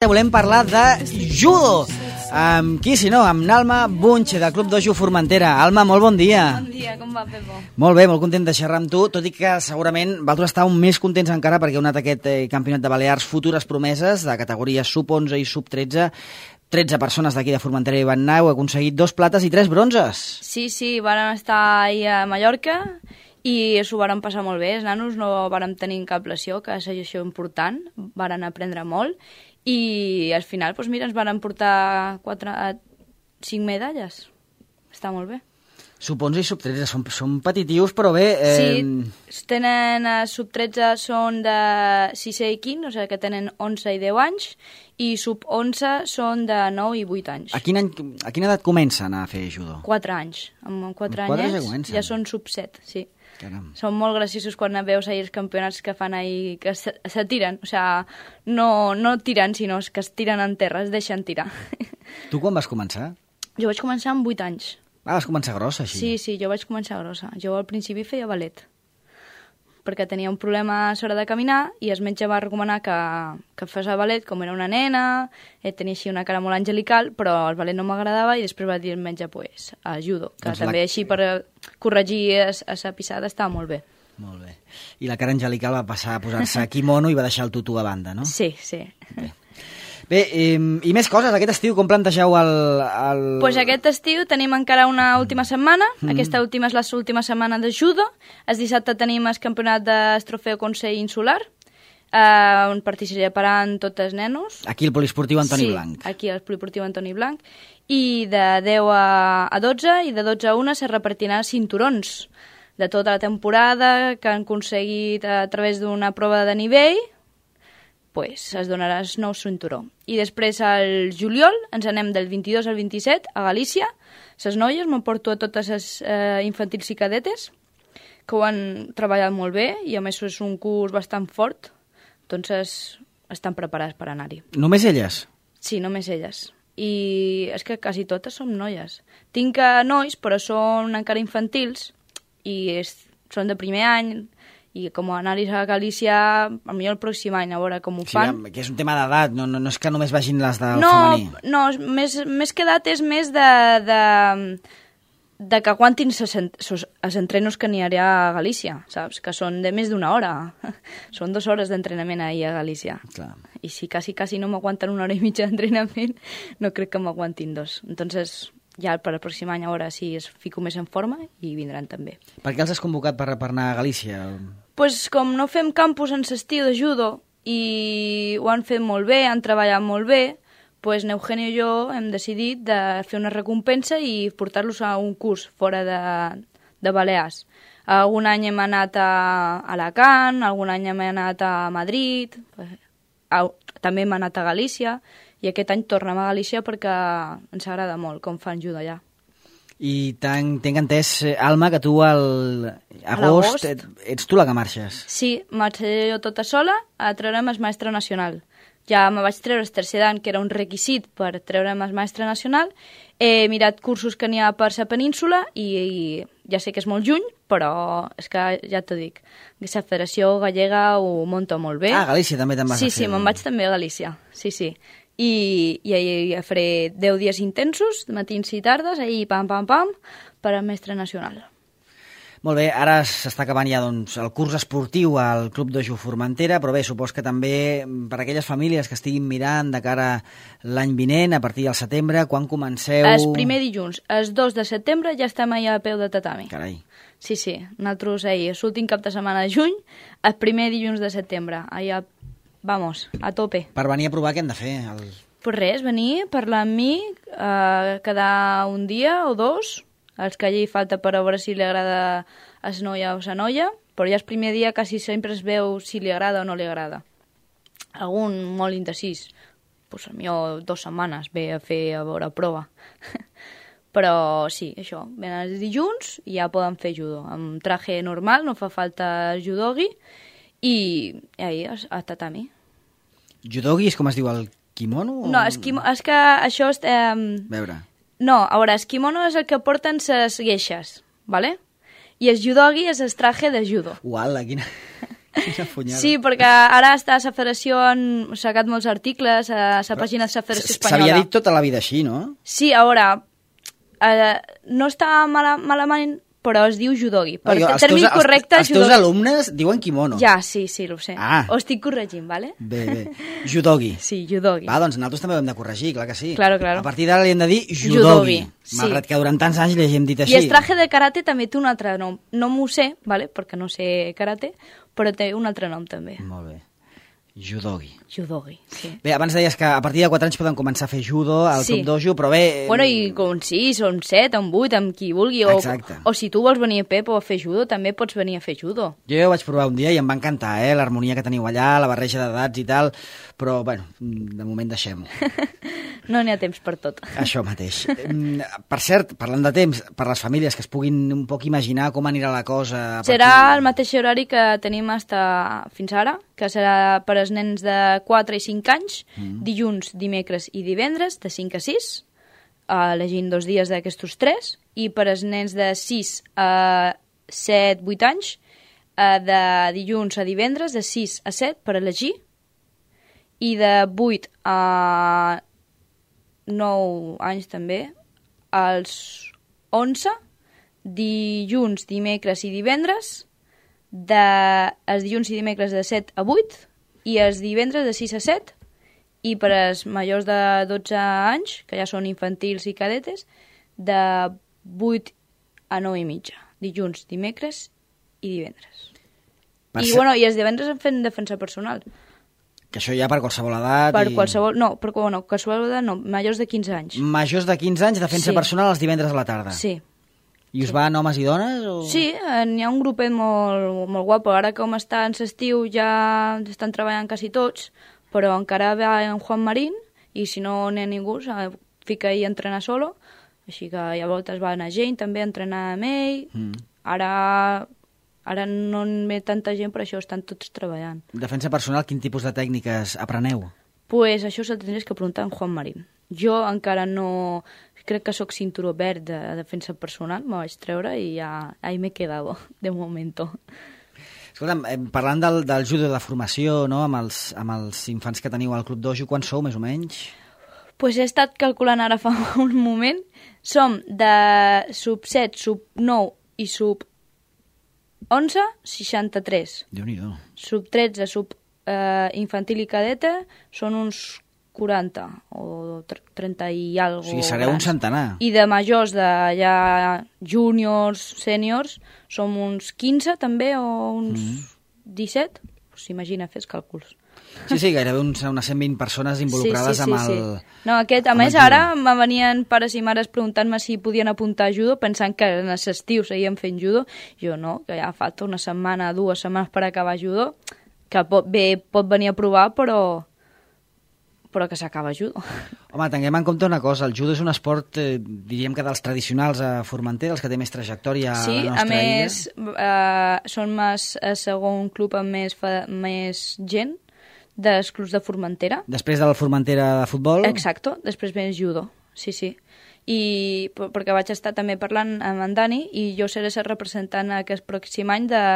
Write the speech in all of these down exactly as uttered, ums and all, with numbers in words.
Volem parlar de judo. Amb qui, si no, amb Alma Bunche, del Club Dojo Formentera. Alma, molt bon dia. Bon dia, com va, Pepo? Molt bé, molt content de xerrar amb tu, tot i que segurament vosaltres estàveu més contents encara perquè heu anat a aquest eh, campionat de Balears Futures Promeses, de categories sub onze i sub tretze. tretze persones d'aquí de Formentera hi van anar, heu aconseguit dos plates i tres bronzes. Sí, sí, varen estar ahir a Mallorca i s'ho varen passar molt bé. Els nanos no varen tenir cap lesió, que és això important, varen aprendre molt. I al final, doncs mira, ens van portar quatre, cinc medalles. Està molt bé. Sub onze i sub tretze són, són petitius, però bé... Eh... Sí, tenen eh, sub tretze són de sisè i quint, o sigui que tenen onze i deu anys, i sub onze són de nou i vuit anys. A, quin any, a quina edat comencen a fer judo? quatre anys. Amb quatre Amb anyets ja, ja són sub set, sí. Caram. Són molt graciosos quan veus ahir els campionats que fan ahir, que se, se tiren, o sigui, no, no tiren, sinó que es tiren en terra, es deixen tirar. Tu quan vas començar? Jo vaig començar amb vuit anys. Ah, vas començar grossa, així? Sí, sí, jo vaig començar grossa. Jo al principi feia ballet, perquè tenia un problema a l'hora de caminar i el metge va recomanar que, que fes el ballet, com era una nena, eh, tenia així una cara molt angelical, però el ballet no m'agradava i després va dir el metge, pues, a judo, que doncs també la... així per corregir a la pissada estava molt bé. Molt bé. I la cara angelical va passar a posar-se quimono i va deixar el tutú a banda, no? Sí, sí. Bé. Bé, i, i més coses, aquest estiu, com plantegeu el... el... Pues aquest estiu tenim encara una última setmana, mm. aquesta última és l'última setmana de judo, el dissabte tenim el campionat del Trofeu Consell Insular, eh, on participaran tots els nenos. Aquí el poliesportiu Antoni sí, Blanc. Sí, aquí el poliesportiu Antoni Blanc, i de deu a dotze i de dotze a una se repartiran cinturons de tota la temporada que han aconseguit a través d'una prova de nivell, pues es donarà el nou cinturó. I després al juliol ens anem del vint-i-dos al vint-i-set a Galícia. Les noies m'emporto a totes les eh, infantils i cadetes que ho han treballat molt bé i a més és un curs bastant fort, doncs estan preparats per anar-hi. Només elles? Sí, només elles. I és que quasi totes som noies. Tinc eh, nois, però són encara infantils i és, són de primer any, i com anar-hi a Galícia potser el pròxim any, a veure com ho sí, fan. Que és un tema d'edat, no, no, no és que només vagin les del no, femení. No, més, més que edat és més de, de, de que aguantin els entrenos que n'hi ha a Galícia, saps? Que són de més d'una hora. Són dues hores d'entrenament ahir a Galícia. Clar. I si quasi, quasi no m'aguanten una hora i mitja d'entrenament, no crec que m'aguantin dos. Entonces, ja per el pròxim any a veure si es fico més en forma i vindran també. Per què els has convocat per, per anar a Galícia? Pues com no fem campus en l'estiu de judo i ho han fet molt bé, han treballat molt bé, pues Eugenio i jo hem decidit de fer una recompensa i portar-los a un curs fora de, de Balears. Algun any hem anat a Alacant, algun any hem anat a Madrid, també hem anat a Galícia, i aquest any tornem a Galícia perquè ens agrada molt com fan judo allà. I tinc entès, Alma, que tu al agost ets tu la que marxes. Sí, marxaré jo tota sola a treure'm el mestre nacional. Ja me vaig treure el tercer dan, que era un requisit per treure'm el mestre nacional. He mirat cursos que n'hi ha per la península i, i ja sé que és molt lluny, però és que ja t'ho dic, la Federació Gallega ho munta molt bé. Ah, a Galícia també te'n vas sí, a fer. Sí, sí, me'n vaig també a Galícia, sí, sí. I, i ahir faré deu dies intensos, matins i tardes, ahir pam, pam, pam, per al mestre nacional. Molt bé, ara s'està acabant ja doncs, el curs esportiu al Club Dojo Formentera, però bé, supos que també per aquelles famílies que estiguin mirant de cara l'any vinent, a partir del setembre, quan comenceu... El primer dilluns, el dos de setembre, ja estem allà a peu de tatami. Carai. Sí, sí, nosaltres ahir, l'últim cap de setmana de juny, el primer dilluns de setembre, allà, vamos, a tope. Per venir a provar què hem de fer? El... Pues res, venir, parlar amb mi, eh, quedar un dia o dos, els que allí falta per veure si li agrada a la noia o a la noia, però ja el primer dia quasi sempre es veu si li agrada o no li agrada. Algun molt indecís, pues, potser dues setmanes ve a fer a veure prova. Però sí, això, venen els dilluns i ja poden fer judo. Amb traje normal, no fa falta judogi, i ahir a tatami. Judogi és com es diu, el kimono? O... No, és, quimo... és que això... És, eh... veure... No, a veure, el kimono és el que porten les gueixes, ¿vale? I el judogi és el traje de judo. Uala, quina... Sí, perquè ara està a la federació, han sacat molts articles a la pàgina de la federació espanyola. S'havia dit tota la vida així, no? Sí, a veure, eh, no està mala, malament, però es diu judogi. Per no, el terme correcte, els, els teus alumnes diuen kimono. Ja, sí, sí, ho sé. Ah. Ho estic corregint, vale? Bé, bé. Judogi. Sí, judogi. Va, doncs nosaltres també ho hem de corregir, clar que sí. Claro, claro. A partir d'ara li hem de dir judogi. Judogi, sí. Malgrat que durant tants anys li hem dit així. I el traje de karate també té un altre nom. No m'ho sé, vale? Perquè no sé karate, però té un altre nom també. Molt bé. Judogi. Judogi, sí. Bé, abans deies que a partir de quatre anys poden començar a fer judo al sí. Club Dojo, però bé... Bueno, i com sis, o un set, o un vuit, amb qui vulgui. O, o si tu vols venir a Pepo a fer judo, també pots venir a fer judo. Jo ja ho vaig provar un dia i em va encantar, eh? L'harmonia que teniu allà, la barreja d'edats i tal, però, bueno, de moment deixem-ho. No n'hi ha temps per tot. Això mateix. Per cert, parlant de temps, per les famílies que es puguin un poc imaginar com anirà la cosa... Serà el mateix horari que tenim hasta fins ara, que serà per als nens de quatre i cinc anys, mm. dilluns, dimecres i divendres, de cinc a sis, elegint dos dies d'aquestos tres, i per als nens de sis a set, vuit anys, de dilluns a divendres, de sis a set, per elegir, i de vuit a nou anys també, als onze, dilluns, dimecres i divendres, de, els dilluns i dimecres de set a vuit, i els divendres de sis a set, i per als majors de dotze anys, que ja són infantils i cadetes, de vuit a nou i mitja, dilluns, dimecres i divendres. Per I, ser... bueno, I els divendres en fem defensa personal. Que això ja per qualsevol edat... Per i... qualsevol... No, per bueno, qualsevol edat no, majors de quinze anys. Majors de quinze anys, defensa sí. personal els divendres a la tarda. Sí. I us sí. van homes i dones? O... Sí, n'hi ha un grupet molt, molt guapo. Ara com està en l'estiu ja estan treballant quasi tots, però encara va en Juan Marín, i si no n'hi ha ningú, fica ell a entrenar solo, així que a voltes va anar gent també a entrenar amb ell. Mm. Ara... Ara no en ve tanta gent, per això estan tots treballant. Defensa personal, quin tipus de tècniques apreneu? Pues això se'l tindries que preguntar a Juan Marín. Jo encara no... Crec que sóc cinturó verd de defensa personal, me vaig treure i ja ahí m'he quedado, de momento. Escolta'm, parlant del, del judo de formació, no?, amb els, amb els infants que teniu al Club Dojo, quan sou, més o menys? Pues he estat calculant ara fa un moment. Som de sub set, sub nou i sub onze, seixanta-tres. Déu-n'hi-do. Sub tretze, sub eh, infantil i cadeta, són uns quaranta o trenta i alguna cosa. O sigui, sereu un centenar. I de majors, de ja júniors, sèniors, som uns quinze també, o uns mm. disset. Pues imagina, fes càlculs. Sí, sí, gairebé uns, unes cent vint persones involucrades sí, sí, sí, amb el... Sí. No, aquest, a més, ara me venien pares i mares preguntant-me si podien apuntar a judo, pensant que en l'estiu seguien fent judo. Jo no, que ja falta una setmana, dues setmanes per acabar judo, que pot, bé pot venir a provar, però però que s'acaba judo. Home, tinguem en compte una cosa, el judo és un esport, eh, diríem que dels tradicionals a Formentera, els que té més trajectòria sí, a la nostra illa. Sí, a més, eh, són més el segon club amb més, més gent dels clubs de Formentera. Després del Formentera de futbol? Exacto, després ve el judo, sí, sí. I perquè vaig estar també parlant amb en Dani i jo seré el representant aquest pròxim any de,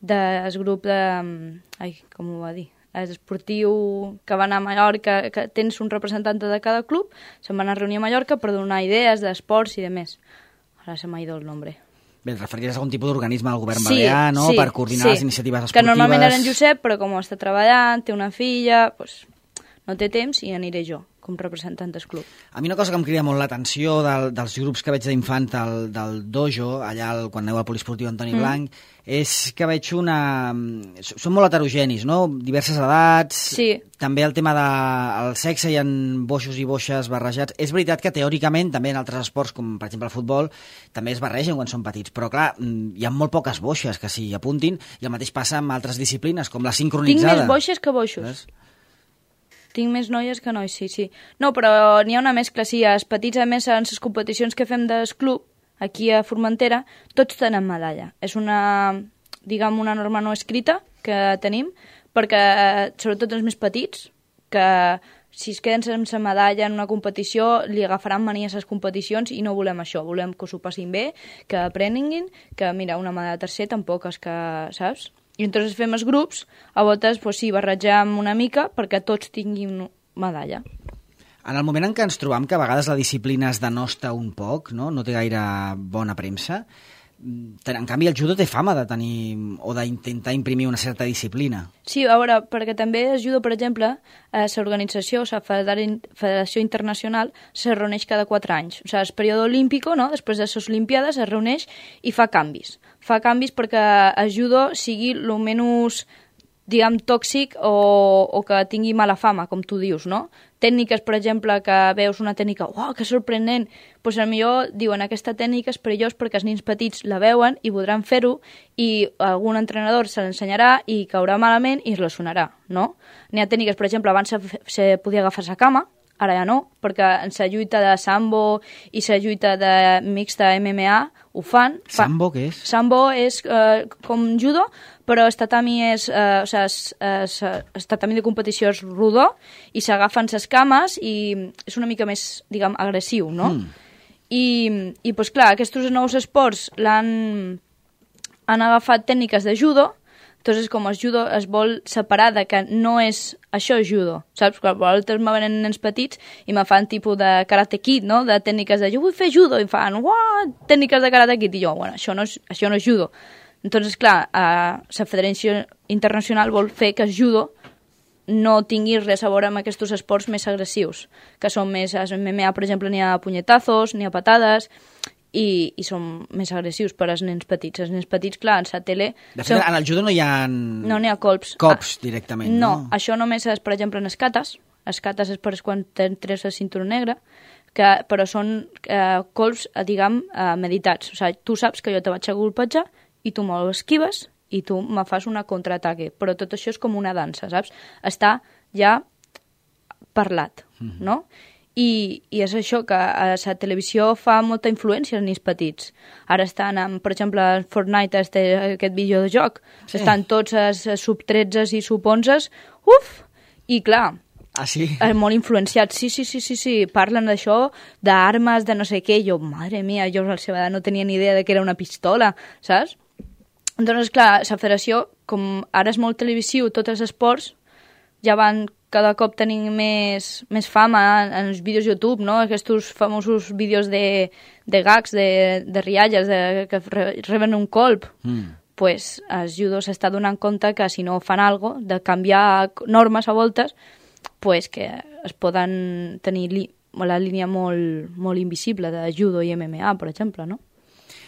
del grup de... Ai, com ho va dir? Esportiu que va anar a Mallorca, que tens un representant de cada club, se'n van a reunir a Mallorca per donar idees d'esports i de més. Ara se m'ha ido el nombre. Bé, et referiries a algun tipus d'organisme del govern sí, balear, no?, sí, per coordinar sí. les iniciatives esportives. Que normalment era en Josep, però com està treballant, té una filla, doncs no té temps i aniré jo, com representant del club. A mi una cosa que em crida molt l'atenció del, dels grups que veig d'infant del, del dojo, allà el, quan aneu al poliesportiu Antoni mm. Blanc, és que veig una... Són molt heterogenis, no?, diverses edats, sí. També el tema del sexe, hi ha boixos i boixes barrejats. És veritat que teòricament, també en altres esports, com per exemple el futbol, també es barregen quan són petits, però clar, hi ha molt poques boixes que s'hi apuntin, i el mateix passa amb altres disciplines, com la sincronitzada. Tinc més boixes que boixos. Ves? Tinc més noies que nois, sí, sí. No, però n'hi ha una mescla, sí. Els petits, a més, en les competicions que fem del club, aquí a Formentera, tots tenen medalla. És una, diguem, una norma no escrita que tenim, perquè, sobretot els més petits, que si es queden sense medalla en una competició, li agafaran mania a les competicions i no volem això. Volem que s'ho passin bé, que aprenguin, que, mira, una medalla tercer tampoc és que, saps? I entonces fem els grups, a voltes, pues sí, barrejam una mica perquè tots tinguin medalla. En el moment en què ens trobam que a vegades la disciplina es denosta un poc, no, no té gaire bona premsa, en canvi el judo té fama de tenir o d'intentar imprimir una certa disciplina. Sí, a veure, perquè també el judo, per exemple, eh, l'organització, la Federació Internacional, se reuneix cada quatre anys. O sigui, el període olímpic, no? Després de les Olimpiades, es reuneix i fa canvis. Fa canvis perquè el judo sigui el menys, diguem, tòxic o, o que tingui mala fama, com tu dius, no? Tècniques, per exemple, que veus una tècnica, uau, que sorprenent, doncs potser diuen aquesta tècnica és perillós perquè els nens petits la veuen i voldran fer-ho i algun entrenador se l'ensenyarà i caurà malament i es lesionarà, no? N'hi ha tècniques, per exemple, abans se, se podia agafar la cama, ara ja no, perquè en la lluita de sambo i la lluita de mixta M M A ho fan. Sambo què és? Sambo és eh, com judo, però el tatami és, eh, o sigui, es, es, el tatami de competició és rodó i s'agafen les cames i és una mica més, diguem, agressiu, no? Mm. I, i pues, clar, aquests nous esports l'han han agafat tècniques de judo. Entonces, com el judo es vol separar de que no és això judo, saps? Quan vosaltres me venen nens petits i me fan tipus de karate kid, no? De tècniques de jo vull fer judo, i em fan, uah, tècniques de karate kid, i jo, bueno, això no és, això no és judo. Entonces, clar, eh, la Federació Internacional vol fer que el judo no tingui res a veure amb aquests esports més agressius, que són més, a M M A, per exemple, n'hi ha punyetazos, n'hi ha patades, i, i són més agressius per als nens petits. Els nens petits, clar, en la tele... De fet, són... en el judo no hi ha... No n'hi ha colps. Cops, ah, directament, no? No, això només és, per exemple, en escates. Escates és per quan entres el cinturó negre, que, però són eh, colps, eh, diguem, eh, meditats. O sigui, tu saps que jo te vaig a golpejar i tu me'l esquives i tu me fas una contraataque. Però tot això és com una dansa, saps? Està ja parlat, mm-hmm. no? I, i és això, que a la televisió fa molta influència als nens petits. Ara estan, amb, per exemple, en Fortnite, este, aquest videojoc, sí. Estan tots els sub tretze i sub onze, uf! I clar, ah, sí? molt influenciats. Sí, sí, sí, sí, sí. Parlen d'això, d'armes, de no sé què. Jo, madre mia, jo a la seva edat no tenia ni idea de que era una pistola, saps? Doncs, clar, la federació, com ara és molt televisiu, tots els esports, ja van cada cop tenint més, més fama en els vídeos YouTube, no? Aquests famosos vídeos de, de gags, de, de rialles, de, que reben un colp. Mm. Pues els judo s'està donant compte que si no fan alguna cosa, de canviar normes a voltes, pues que es poden tenir li, la línia molt, molt invisible de judo i M M A, per exemple, no?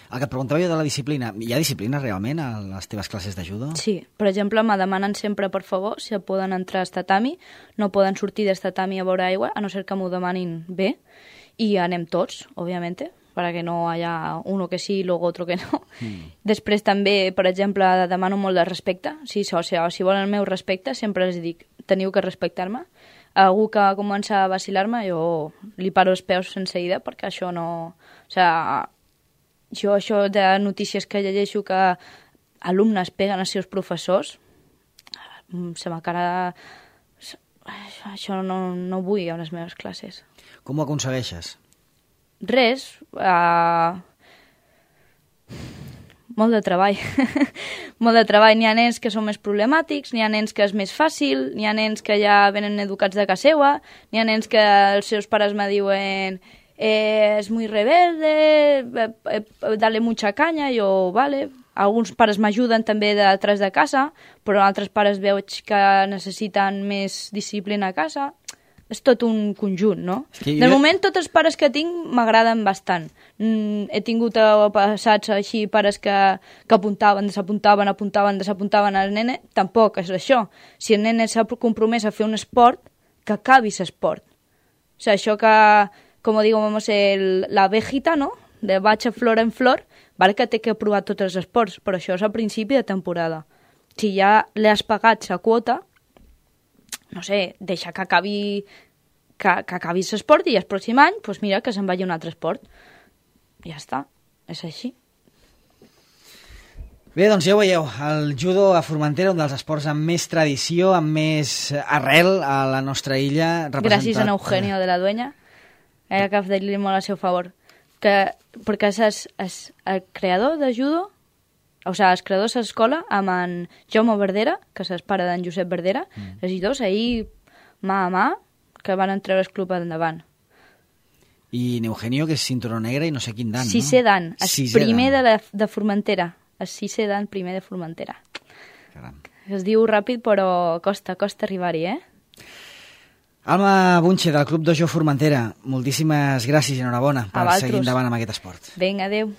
El que et preguntava jo de la disciplina, hi ha disciplina realment a les teves classes de judo? Sí, per exemple, me demanen sempre, per favor, si poden entrar al tatami, no poden sortir del tatami a veure aigua, a no ser que m'ho demanin bé, i anem tots, òbviament, perquè no hi ha uno que sí i luego otro que no. Mm. Després també, per exemple, demano molt de respecte, si, o sigui, si volen el meu respecte, sempre els dic, teniu que respectar-me. Algú que comença a vacilar-me, jo li paro els peus sense ida, perquè això no... O sigui, jo això de notícies que llegeixo que alumnes peguen als seus professors, se m'acara... Això no, no vull a les meves classes. Com ho aconsegueixes? Res. Uh... Molt de treball. Molt de treball. N'hi ha nens que són més problemàtics, n'hi ha nens que és més fàcil, n'hi ha nens que ja venen educats de casa seva, n'hi ha nens que els seus pares me diuen... Eh, és muy rebelde, eh, eh, dale mucha caña, jo, vale. Alguns pares m'ajuden també de detrás de casa, però altres pares veig que necessiten més disciplina a casa. És tot un conjunt, no? De jo... moment, tots els pares que tinc m'agraden bastant. Mm, he tingut passats així pares que, que apuntaven, desapuntaven, apuntaven, desapuntaven al nene. Tampoc és això. Si el nene s'ha compromès a fer un esport, que acabi l'esport. O sigui, això que... com digo, vamos, el, la abejita, no?, de vaig a flor en flor, val que té que provar tots els esports, però això és a principi de temporada. Si ja li has pagat la quota, no sé, deixa que acabi que, que acabi l'esport i el pròxim any, doncs mira, que se'n vagi un altre esport. Ja està, és així. Bé, doncs ja ho veieu, el judo a Formentera, un dels esports amb més tradició, amb més arrel a la nostra illa. Representat... Gràcies a Eugenio de la Dueña. Era que dir-li molt al seu favor. Que, perquè és, és el creador de judo, o sigui, els creadors de l'escola amb en Jaume Verdera, que és el pare d'en Josep Verdera, mm. els dos ahir, mà a mà, que van treure el club endavant. I Eugenio, que és cinturó negre i no sé quin dan, sisè no? dan, el primer de, la, de Formentera, el sisè dan primer de Formentera. Caram. Es diu ràpid, però costa, costa arribar-hi, eh? Alma Bunche, del Club Dojo Formentera, moltíssimes gràcies i enhorabona per seguir endavant amb aquest esport. Vinga, adéu.